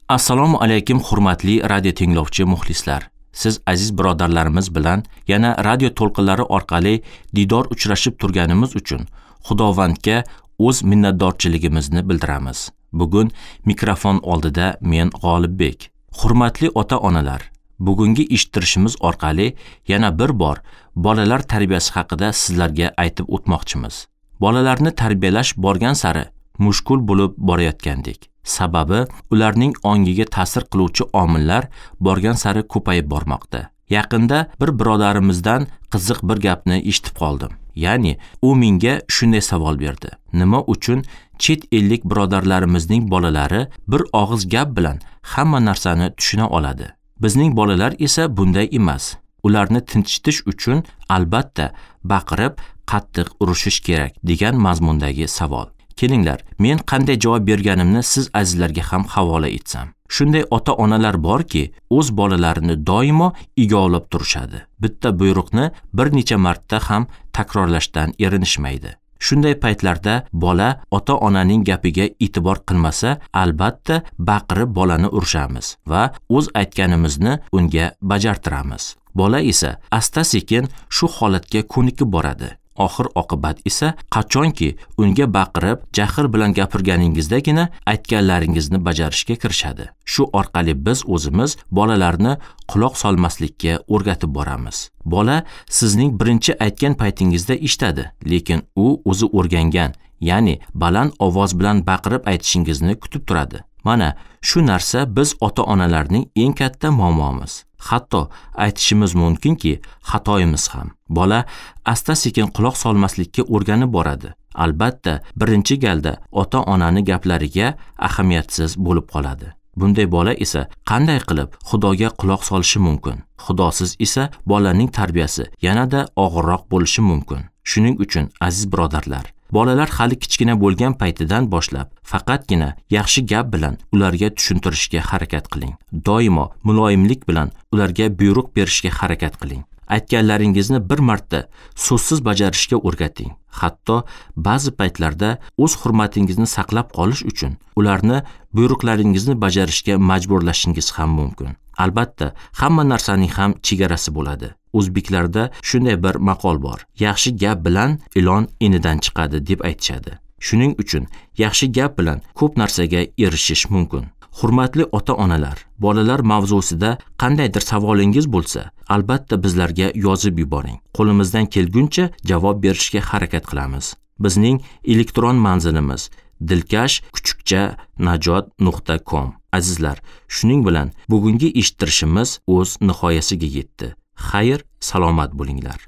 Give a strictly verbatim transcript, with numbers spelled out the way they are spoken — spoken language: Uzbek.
Assalomu alaykum hurmatli radio tinglovchi muxlislar. Siz aziz birodarlarimiz bilan yana radio to'lqinlari orqali diydor uchrashib turganimiz uchun Xudovandga o'z minnatdorchiligimizni bildiramiz. Bugun mikrofon oldida men G'olibbek. Hurmatli ota-onalar, bugungi eshittirishimiz orqali yana bir bor bolalar tarbiyasi haqida sizlarga aytib o'tmoqchimiz. Bolalarni tarbiyalash borgan sari mushkul bo'lib borayotgandek. Sababi ularning ongiga ta'sir qiluvchi omillar borgan sari ko'payib bormoqda. Yaqinda bir birodarimizdan qiziq bir gapni eshitib qoldim. Ya'ni u menga shunday savol berdi. Nima uchun chet ellik birodarlarimizning bolalari bir og'iz gap bilan hamma narsani tushuna oladi? Bizning bolalar esa bunday emas. Ularni tinchitish uchun albatta baqirib, qattiq urushish kerak degan mazmundagi savol. Kelinglar, men qanday javob berganimni siz azizlarga ham havola etsam. Shunday ota-onalar borki, o'z bolalarini doimo igovlab turishadi. Bitta buyruqni bir necha marta ham takrorlashdan erinishmaydi. Shunday paytlarda bola ota-onaning gapiga e'tibor qilmasa, albatta baqirib bolani urishamiz va o'z aytganimizni unga bajartiramiz. Bola esa asta-sekin shu holatga ko'nikib boradi. Oxir oqibat esa qachonki unga baqirib, jahl bilan gapirganingizdagina aytganlaringizni bajarishga kirishadi. Shu orqali biz o'zimiz bolalarni quloq solmaslikka o'rgatib boramiz. Bola sizning birinchi aytgan paytingizda eshitadi, lekin u o'zi o'rgangan, ya'ni baland ovoz bilan baqirib aytishingizni kutib turadi. Mana shu narsa biz ota-onalarning eng katta muammomiz. Hatto aytishimiz mumkinki, xatoyimiz ham. Bola asta-sekin quloq solmaslikka o'rganib boradi. Albatta, birinchi galda ota-onani gaplariga ahamiyatsiz bo'lib qoladi. Bunday bola esa qanday qilib Xudoga quloq solishi mumkin? Xudosiz esa bolaning tarbiyasi yanada og'irroq bo'lishi mumkin. Shuning uchun aziz birodarlar, bolalar hali kichkina bo'lgan paytidan boshlab faqatgina yaxshi gap bilan ularga tushuntirishga harakat qiling. Doimo muloyimlik bilan ularga buyruq berishga harakat qiling. Aytganlaringizni bir marta so'zsiz bajarishga o'rgating. Hatto ba'zi paytlarda o'z hurmatingizni saqlab qolish uchun ularni buyruqlaringizni bajarishga majburlashingiz ham mumkin. Albatta, hamma narsaning ham chegarasi bo'ladi. O'zbeklarda shunday bir maqol bor. Yaxshi gap bilan ilon inidan chiqadi deb aytishadi. Shuning uchun yaxshi gap bilan ko'p narsaga erishish mumkin. Hurmatli ota-onalar, bolalar mavzusida qandaydir savolingiz bo'lsa, albatta bizlarga yozib yuboring. Qo'limizdan kelguncha javob berishga harakat qilamiz. Bizning elektron manzilimiz dilkash kuchukcha najot nuqta com. Azizlar, shuning bilan bugungi eshittirishimiz o'z nihoyasiga yetdi. Xayr, salomat bo'linglar.